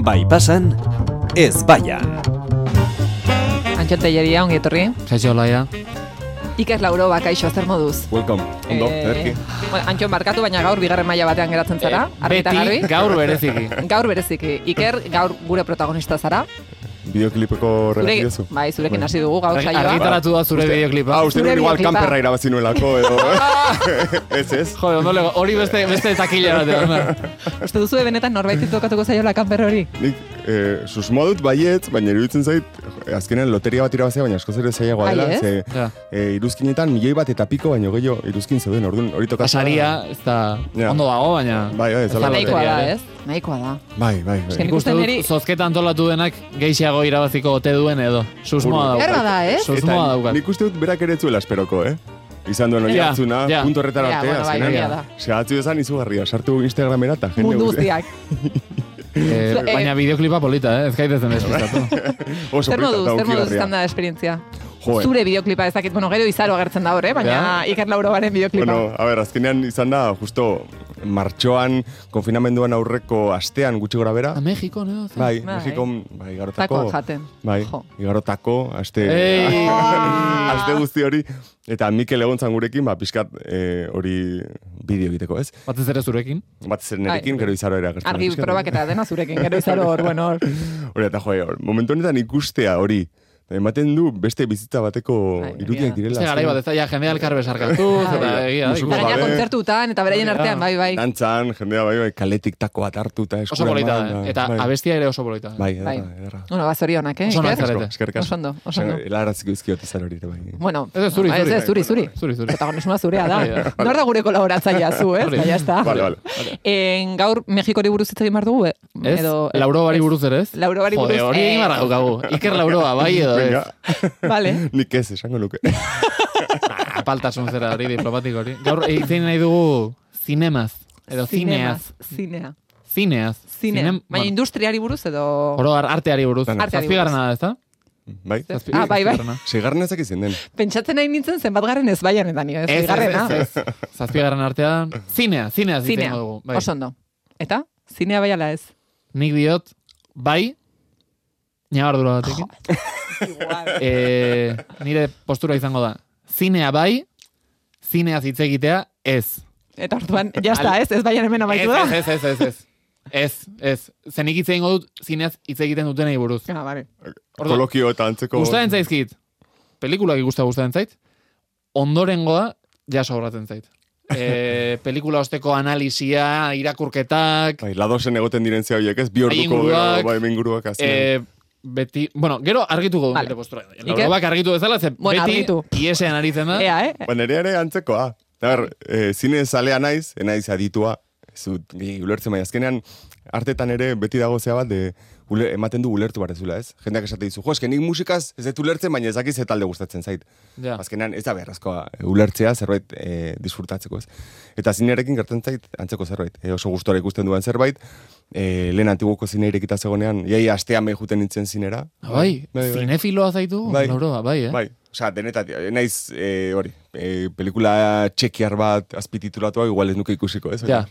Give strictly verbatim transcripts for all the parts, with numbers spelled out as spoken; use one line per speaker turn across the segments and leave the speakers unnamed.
Bai pasan, ez baian.
Antxon Telleria, ongi etorri.
Zaitxo laia.
Iker Lauro, bakaixo, zer moduz?
Welcome, ondo,
Eh,
ederki.
bueno, Antxon barkatu, baina gaur bigarren maila batean geratzen zara. argi eta garbi.
Beti gaur bereziki.
Gaur bereziki. Iker, gaur gure protagonista zara.
Bideoklipeko regatio zu.
Bai, zurekin hasi dugu gaur saioa.
Argitaratu da zure bideoklipa.
Ah, uste
Zure
nuen igual
bideoklipa.
kanperra irabazi nuelako, edo. Ez, ez.
Jode, ondo lego, hori beste, beste takila bat.
Uste duzu benetan norbait tokatuko zaiola kanper hori?
Nik, eh, susmodut baietz, baina iruditzen zait, eh, azkenean loteria bat irabazea, baina askoz ere zailagoa
Bai,
dela.
ez?
Ze,
Ja.
eh, iruzkinetan milioi bat eta piko, baina gehiago iruzkin zeuden, orduan hori tokatzen.
Pasaria, ez da,
Ja.
ondo dago, baina...
Bai, bai, ez
da
ala
Nahikoa
loteria
da,
ere.
ez? Nahikoa da.
Bai, bai,
Eske
bai.
nik
Uste
uste
dut,
niri-
zozketa antolatu denak geixiago irabaziko ote duen edo. Susmoa
Ur-
daukat.
Behar bada, ez?
Susmoa daukat.
nik uste dut berak ere ez zuela esperoko, eh? Izan duen hori
Ja,
hartzuna,
ja.
punto horretara
Ja,
arte,
bueno, bai,
azkenean.
egia da.
Segatzu esan izugarria, sartu Instagramera eta jende
Mundu
guztia.
guztiak.
Eh,
Eh,
baina bideoklipa polita, eh? Ez gaitezen despistatu.
Oso
Zer
polita
moduz,
eta
zer moduz
hunkigarria.
izan da esperientzia?
Joe.
Zure bideoklipa ezakit, bueno, gero izaro agertzen da hor, eh? baina
Ja.
Iker Lauro baren bideoklipa.
Bueno, a ver, azkenean izan da, justo martxoan, konfinamenduan aurreko astean gutxi gora bera.
A Mexiko, no?
Bai,
Bai.
Mexikon, bai, igarotako.
Takoa jaten.
Bai,
Jo.
igarotako, aste,
Ei!
aste guzti hori. Eta Mikel egontzan gurekin, ba, pixkat eh, hori bideo egiteko, ez?
Batez ere zurekin.
Bat zer nerekin,
Bai.
gero izaro ere agertzen.
Argi
pixkat.
probak eta dena zurekin, gero izaro hor, bueno, hor.
Hori, eta joe, hor, momentu honetan ikustea hori. Ematen du beste bizitza bateko
Bai, egia
irudiak
da.
direla.
Beste garai bat, ez da, ja, jende alkar besarkatuz,
Bai.
eta egia.
Musuko
Eta gaina
gabe.
kontzertutan, eta beraien artean, bai, bai.
Dantzan, jendea bai, bai, kaletik tako bat hartu eta
Oso
eskura
polita
eman,
da, eta
bai.
abestia ere oso polita da.
Bai, ederra,
Bai.
ederra.
Bueno, ba, zorionak, eh?
Oso
Iker?
nahi zarete.
Eskerrik asko.
Oso ondo, oso ondo.
Helaraziko izkiot izan hori ere bai.
Bueno,
Ez ez, zuri,
ez,
zuri.
ez, zuri, zuri.
Zuri, zuri.
Protagonismoa zurea da.
Bai, bai.
Nor da gure kolaboratzailea zu, ez?
Hori.
Baina ez da.
Vale, vale.
En, gaur Mexikori buruz hitz egin behar dugu? eh?
Ez?
Edo, eh,
Lauro bari
ez.
buruz ere ez?
Lauro bari buruz.
Jode, hori egin barra daukagu. Iker Lauroa, bai edo ez?
Venga,
Vale.
nik ez esango nuke.
Ah, Apaltasun zera hori diplomatiko hori. Gaur egin nahi dugu zinemaz. Edo zineaz.
Zinea.
Zineaz.
Zinea.
Zinem-
Baina
bueno,
industriari buruz edo...
Oro har- arteari buruz.
Dana.
Arteari
Zazpigarrena da, ez da?
Bai?
Zazpi-
Ah, bai, bai.
zazpigarrena.
Segarren ezak izan den.
Pentsatzen nahi nintzen zenbat garren ez baian eta nio, ez
Ez, ez,
bigarrena.
ez, ez. Zazpigarren artean. Zinea, zinea
Zinea,
zitzen dugu. Bai.
oso ondo. Eta? Zinea bai ala ez?
Nik diot, bai, ñabardura batekin.
Igual.
e, nire postura izango da. Zinea bai, zineaz hitz egitea ez.
Eta orduan, jazta ez, ez baian hemen amaitu da.
Ez, ez, ez, ez, ez. Ez, ez. Zenik hitz egingo dut zineaz hitz egiten dutenei buruz.
Ah, vale.
Orduan,
Kolokio eta antzeko...
Gustatzen zaizkit. Pelikulak ikusta gustatzen zait. Ondorengoa ja sobratzen zait. E, pelikula osteko analisia, irakurketak,
Bai, ladosen egoten diren zea horiek ez, bi orduko
Inguruak,
gero, bai, inguruak azien.
e, beti, bueno, gero argituko du
Vale.
nire postura.
Iker?
Laurobak argitu bezala, ze
Bueno,
beti
argitu.
iesean aritzen da.
Ea, eh?
Ba, nire ere antzekoa. A ber, e, zine zalea naiz, enaiz aditua, ez dut, gehi, ulertzen bai, azkenean, artetan ere beti dago zea bat, de, ule, ematen du ulertu barezula, ez? Jendeak esate dizu, jo, eske nik musikaz ez dut ulertzen, baina ezakiz ze talde gustatzen zait.
Ja.
Azkenean, ez da beharrezkoa e, ulertzea, zerbait e, disfrutatzeko, ez? Eta zinearekin gertzen zait, antzeko zerbait. E, oso gustora ikusten duen zerbait, e, lehen antiguoko zine irekita zegonenean, iai astean behin juten nintzen zinera.
Bai,
bai, bai.
zinefiloa zaitu,
Bai.
Lauroa, bai, eh?
Bai, osea, denetatik, naiz, e, hori, e, pelikula txekiar bat azpititulatua, igual ez nuke ikusiko, ez?
Ja.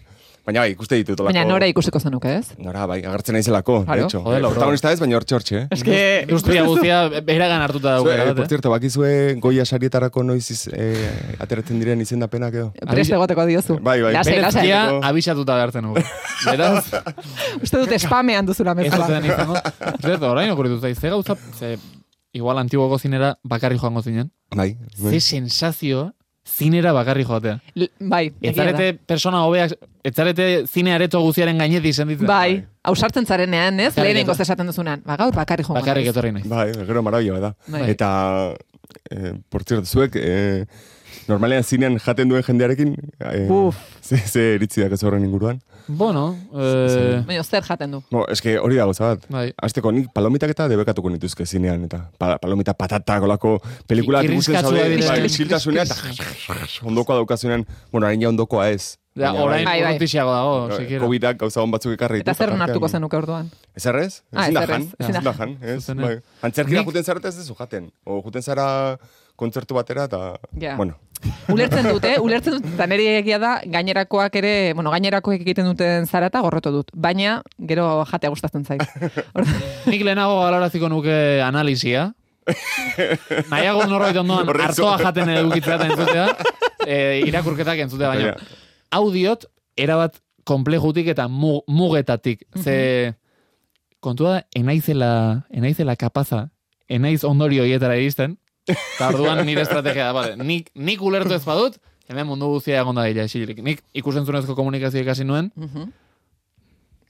Baina bai, ikuste ditut olako...
Baina nora ikusiko zenuke, ez?
Nora, bai, agertzen naizelako,
Claro.
de hecho.
Joder, Lauro.
Protagonista ez, baina hortxe hortxe, eh?
Eske...
Industria guztia beragan hartuta
Zue,
daukera,
eh, por
bat, eh?
cierto, bakizue goia sarietarako noiz iz, eh, ateratzen diren izendapenak edo?
Prest egoteko diozu.
Bai, bai.
Lasai, lasai.
Berezkia
Lasai.
abisatuta behartzen nugu. Beraz,
Uste dut spamean duzula
ez
mezala.
zuten izango. Zerto, orain okuritu zaiz, ze gauza, ze, igual antiguoko zinera bakarri joango zinen.
Bai,
Ze
bai.
sensazioa zinera bakarri joatea.
L- Bai, egia da.
Etzarete persona hobeak, etzarete zine areto guziaren gainetik senditzen.
Bai, ausartzen zarenean, ez?
Bakarrik
Lehenengo
etorri.
esaten duzunan. Ba, gaur bakarri joango
Bakarrik
naiz.
etorri naiz.
Bai, gero marabila da.
Bai.
Eta, eh, por cierto, zuek, eh, normalean zinean jaten duen jendearekin, eh,
Uf.
ze, ze iritziak ez horren inguruan.
Bueno, eh,
Baina zer jaten du.
No, eske hori da gauza bat.
bai.
Azteko, nik palomitak eta debekatuko nituzke zinean, eta pa, palomita patatak olako pelikulak
Ki-
ikusten
kirriskatsuak
zaude,
dira.
bai, isiltasunean, eta ondokoa daukazunean, bueno, harin ja ondokoa ez.
Ja,
Baina,
orain
Bai, bai.
urrutixiago dago,
bai,
sikiera.
Covidak gauza hon batzuk ekarri ditu.
Eta zer
tartean-
hartuko zenuke orduan?
Ez errez?
Ah,
Ezin da
ez errez,
jan,
ezin
ezin
da
da jan, ez?
Zuzenean.
Bai. Antzerkira
Nik-
juten zarete ez dezu jaten. O juten zara kontzertu batera, eta,
Ja.
bueno.
Ulertzen dute, ulertzen dut, eta niri egia da, gainerakoak ere, bueno, gainerakoek egiten duten zara eta gorroto dut. Baina, gero jatea gustatzen zait.
Nik lehenago baloraziko nuke analisia. Nahiago norbait ondoan
Horretzo.
hartoa jaten edukitzea eta entzutea, e, irakurketak entzutea, baina
Baina.
audiot, erabat komplejutik eta mu, mugetatik. Ze kontua da, enaizela, enaizela kapaza, enaiz ondorio hietara iristen, eta orduan nire estrategia da, vale, nik, nik ulertu ez badut, hemen mundu guztia egon da dira, esilik. Nik ikusentzunezko komunikazio ikasi nuen,
Mhm.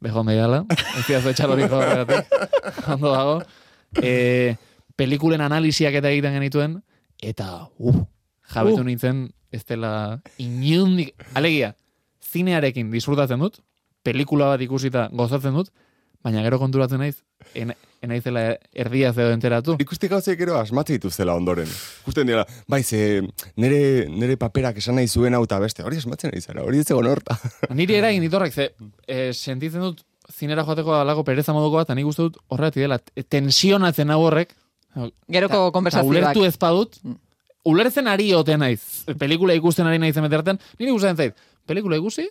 bejo meiala, ez diazu etxaloriko horregatik, ondo dago. E, pelikulen analisiak eta egiten genituen, eta, uh, jabetu
Uh.
nintzen, ez dela inundik, alegia, zinearekin disfrutatzen dut, pelikula bat ikusita gozatzen dut, baina gero konturatzen naiz, en, enaizela erdia zeo enteratu.
Ikusti gauzek gero asmatze dituzela ondoren. Ikusten dira, bai, ze nere, nere paperak esan nahi zuen hau eta beste, hori asmatzen nahi zara, hori ez egon horta.
Niri eragin ditorrak, ze, e, sentitzen dut zinera joateko alako pereza moduko bat, eta nik uste dut horregatik dela, tensionatzen hau horrek,
Geroko
eta
konversazioak.
ulertu ez badut, ulertzen ari ote naiz, pelikula ikusten ari naizen beterten, niri gustatzen zait, pelikula ikusi,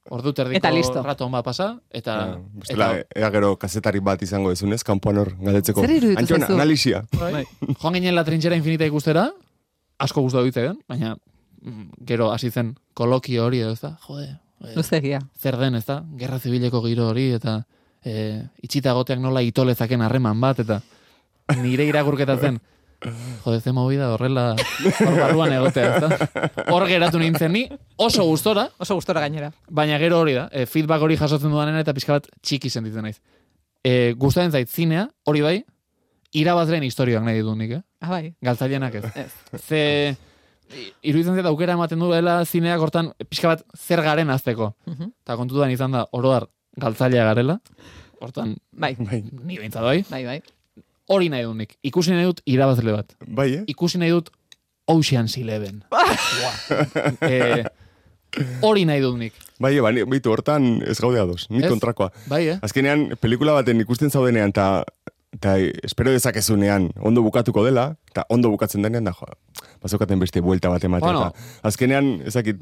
ordu terdiko
Eta listo.
rato on bat pasa, eta...
Bestela, ea gero kazetari bat izango dezunez, kanpoan hor galdetzeko.
Zer iruditu
Antxon,
zaizu?
analisia.
Bai. Joan ginen la trinchera infinita ikustera, asko gustatu ditzen, baina mm, gero hasi zen kolokio hori edo, ez da? Jode, eh,
Luzegia.
zer den, ez da? Gerra zibileko giro hori, eta e, itxita goteak nola itolezaken harreman bat, eta nire irakurketa zen, jode, ze movida horrela hor barruan egotea, ez da? Hor geratu nintzen ni, oso gustora,
Oso gustora gainera.
baina gero hori da, e, feedback hori jasotzen dudanena eta pixka bat txiki sentitzen naiz. E, gustatzen zait zinea, hori bai, irabazleen historioak nahi ditut nik, eh?
Ah, bai.
Galtzailenak ez.
Ez.
Ze iruditzen zait aukera ematen duela zineak hortan pixka bat zer garen azteko.
Mhm.
Eta kontutan izan da, oroar galtzailea garela, hortan
Bai,
ni behintzat bai,
bai, bai.
hori nahi dut nik. Ikusi nahi dut irabazle bat.
Bai, eh?
Ikusi nahi dut Ocean's Eleven. e, hori nahi dut nik.
Bai, ba, ni- baitu hortan ez gaude ados, ni
Ez?
kontrakoa.
Bai, eh?
Azkenean, pelikula baten ikusten zaudenean, eta eta espero dezakezunean ondo bukatuko dela, eta ondo bukatzen denean, da, jo, bazokaten beste buelta bat ematen.
Bueno.
Eta azkenean, ezakit,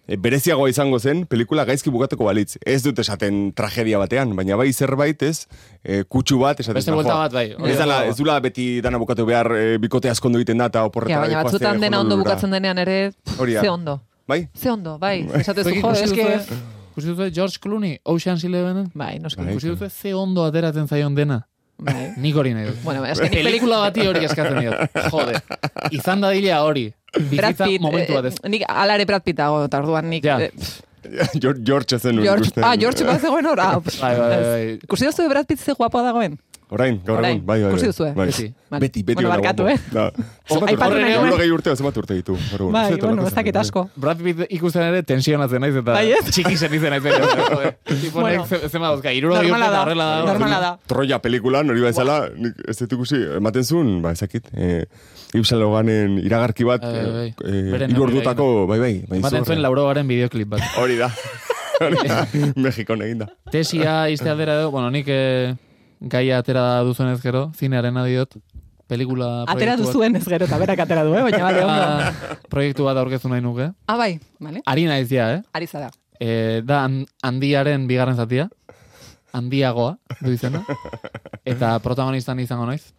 e, bereziagoa izango zen, pelikula gaizki bukatuko balitz. Ez dut esaten tragedia batean, baina bai zerbait ez, e, kutsu bat, esaten
Beste buelta bat, bai. Hori
Ez, dala,
dago.
ez dula beti dana bukatu behar, e, bikote askondo egiten da, eta
Ja,
oporretara
baina
doazte
batzutan dena ondo
Honolulura.
bukatzen denean ere, pff,
Hori da.
ze ondo.
Bai?
Ze ondo, bai. Esatezu,
Zuek
jo,
ikusi
eske...
duzue- ikusi duzue George Clooney, Ocean's Elevenen?
Bai, noski.
Bai.
Ikusi duzue ze ondo ateratzen zaion dena.
Bai.
Nik hori nahi dut.
Bueno, eske nik
Pelikula bati hori eskatzen diot. Jode. Izan dadila hori.
Brad
Bizitza
Pitt,
momentu
eh,
batez.
nik alare Brad Pitt dago, eta orduan nik...
Ja.
eh, pff,
George, George ezen nuen
George,
ikusten.
ah, George bat zegoen hor? Ah, pff,
Bai, bai,
ez.
bai.
Ikusi duzu Brad Pitt ze guapoa dagoen?
Orain, gaur
Orain,
egun, bai, bai.
ikusi
bai.
duzue?
Bai.
Beti.
Vale.
Beti, beti.
Bueno,
ona
barkatu,
guapo.
eh?
Da. Zenbat
aipatu
urte?
nahi nuen.
Hirurogei urte, zenbat urte ditu. gaur egun.
Bai,
Ez dut
bueno,
olako
ez dakit
zen,
asko.
Brad Pitt ikusten ere tensionatzen naiz eta
Bai, ez?
txiki zen izen naiz. Tiponek
Bueno.
ze- zema dauzka, irurogei urte
Normala
eta
da,
horrela da.
normala da.
Troya pelikulan, hori bezala, nik ez dut ikusi, ematen zuen, ba, ezakit, eh, Ibsen Loganen iragarki bat,
Bai, bai, bai.
eh,
Beren
hiru
neurri
ordutako, bai, bai, bai,
Baten zuen Laurogaren bideoklip bat.
Hori da. Hori da. Mexikon egin da.
Tesia izte aldera edo, bueno, nik eh, gaia atera duzuenez gero, zinearen adiot, pelikula
Atera
proiektu bat-
duzuen ez gero, eta berak atera du, eh? Baina bale, ondo.
Ah, proiektu bat aurkeztu nahi nuke.
Ah, bai, bale.
Ari naiz ja, eh?
Ari zara.
E, da han- handiaren bigarren zatia. Handiagoa, du izena. Eta protagonistan izango naiz.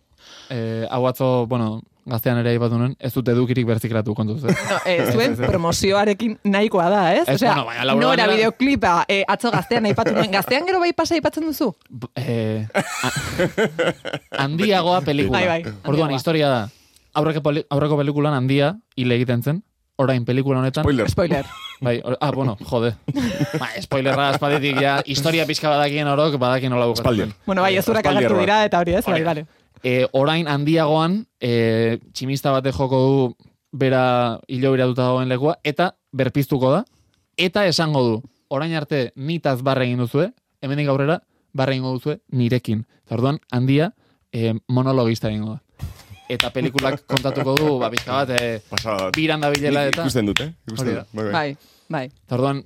E, hau atzo, bueno, gaztean ere aipatu nuen, ez dut edukirik berziklatu kontuz. Eh?
No, eh, zuen promozioarekin nahikoa da, ez?
Ez,
Osea,
bueno, baina Laura
nora
Banera-
bideoklipa eh, atzo gaztean aipatu nuen. Gaztean gero bai pasa aipatzen duzu?
B- E, a- handiagoa pelikula.
Bai, bai,
Orduan,
handiagoa.
historia da. Aurreko, peli- aurreko pelikulan handia hile egiten zen. Orain pelikula honetan.
Spoiler.
Spoiler.
Bai, or, ah, bueno, jode. Ba, spoilerra aspalditik ja, historia pixka badakien orok, badakien nola bukatzen.
Espaldier.
Bueno, bai, ezurak
Aspaldi
agertu
erroa.
dira, eta hori ez, bai,
Hori da.
bale.
E, orain handiagoan, e, tximista batek joko du bera hilo biratuta dagoen lekua, eta berpiztuko da, eta esango du, orain arte nitaz barre egin duzue, hemendik aurrera barre egingo duzue nirekin. Eta orduan, handia e, monologista egingo da. Eta pelikulak kontatuko du, ba, pixka bat, e,
Pasada.
biran da bilela
Nik
eta...
ikusten dut, eh? Ikusten
Hori da.
dut. Bai, bai.
Bai, bai.
Eta orduan,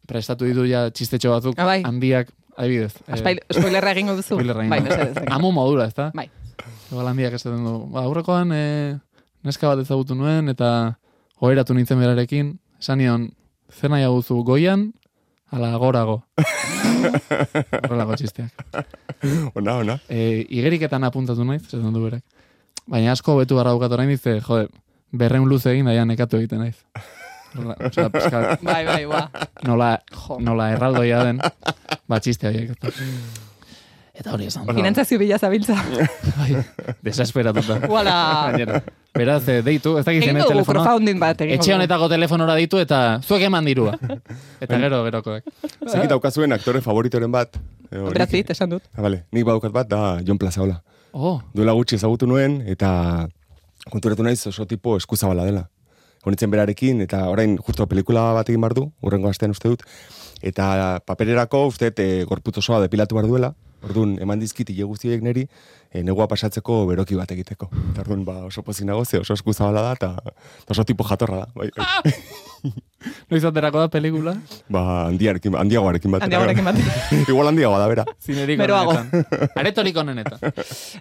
prestatu ditu ja txistetxo batzuk,
Ah, bai.
handiak, adibidez. e,
Aspail- Spoilerra egingo duzu?
spoilerra egingo
Bai,
du.
mesedez.
Amu modura, ezta?
Bai.
Igual handiak esaten du. Ba, aurrekoan, e, neska bat ezagutu nuen, eta oheratu nintzen berarekin, esan nion, zer nahi aguzu goian, ala gorago. Horrelako txisteak.
Ona, ona.
E, igeriketan apuntatu naiz, esan du berak. Baina asko betu barra bukat orain dize, jode, berreun luze egin daia nekatu egiten naiz. Horrela, osea, pizka,
Bai, bai, ba.
nola,
Jo.
nola erraldoia den, ba txiste horiek. Eta hori esan.
Finantzazio bila zabiltza.
Bai, desesperatuta.
Uala.
Gainera. Beraz, eh, deitu, ez dakit
Egin
zen
dugu
telefonoa.
crowdfunding bat. egingo
Etxe
dugu.
honetako telefonora ditu eta zuek eman dirua. Eta gero, gerokoak.
Zekit daukazuen aktore favoritoren bat. eh, hori-
Brad Pitt, esan dut.
Ah, vale. Nik badaukat bat, da Jon Plazaola.
Oh,
Duela gutxi ezagutu nuen, eta konturatu naiz oso tipo eskuzabala dela. Honitzen berarekin, eta orain justo pelikula bat egin bar du, urrengo astean uste dut, eta papererako uste dut e, gorputz osoa depilatu bar duela, orduan eman dizkit hile guztiek neri, e, negua pasatzeko beroki bat egiteko. Eta orduan ba, oso pozik nago, ze oso eskuzabala da, eta eta oso tipo jatorra da. Bai, bai.
noiz aterako da pelikula?
Ba, handiarekin, handiagoarekin bat.
Handiagoarekin bat.
Igual handiagoa da, bera.
Zinerik
Beroago.
onenetan. Aretorik onenetan.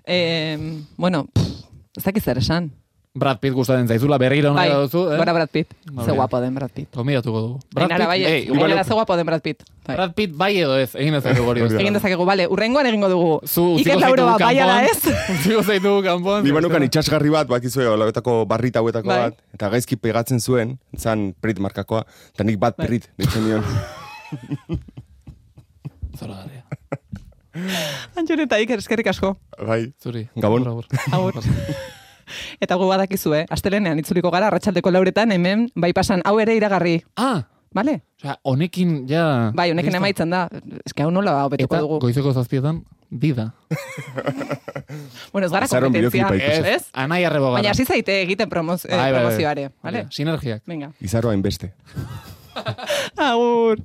Eh, bueno, pff, ez dakit zer esan.
Brad Pitt gustatzen zaizula, berriro
Bai,
nahi duzu, eh?
gora Brad Pitt.
Vale.
Ze guapo den Brad Pitt.
Gomidatuko dugu. Brad
Gainera,
Pitt,
bai,
eh, igual-
gainera ze guapo den Brad Pitt. Bai.
Brad Pitt bai edo ez, egin dezakegu hori.
Hori da.
Egin dezakegu, bale, urrengoan egingo dugu.
Zu
Iker
utziko
Lauroa,
zaitugu
bai ala
kanpoan.
ez?
Utziko zaitugu kanpoan.
Ni banukan itxasgarri bat, bakizue, olabetako barrita hauetako
Bai.
bat, eta gaizki pegatzen zuen, zan Prit markakoa, eta nik bat
Bai.
Prit, ditzen nion.
Zora garria.
Antxon eta Iker, eskerrik asko.
Bai,
Zuri.
Gabon.
Agur,
Agur. Eta gu badakizu, eh? Astelenean itzuliko gara, arratsaldeko lauretan, hemen, bai pasan, hau ere iragarri.
Ah,
Bale?
osea, honekin ja...
Bai, honekin
listo.
emaitzen da. Eske hau nola hobetuko
Eta
dugu.
goizeko zazpietan, dida.
Bueno, ez gara
Azaroan
kompetentzia.
bideoklipa ikusi.
Ez?
Anai arrebo gara.
Baina hasi zaite egiten promoz, eh,
Bai, bai, bai.
promozioare. Vale?
Sinergiak.
Venga.
Izaroa inbeste.
Agur.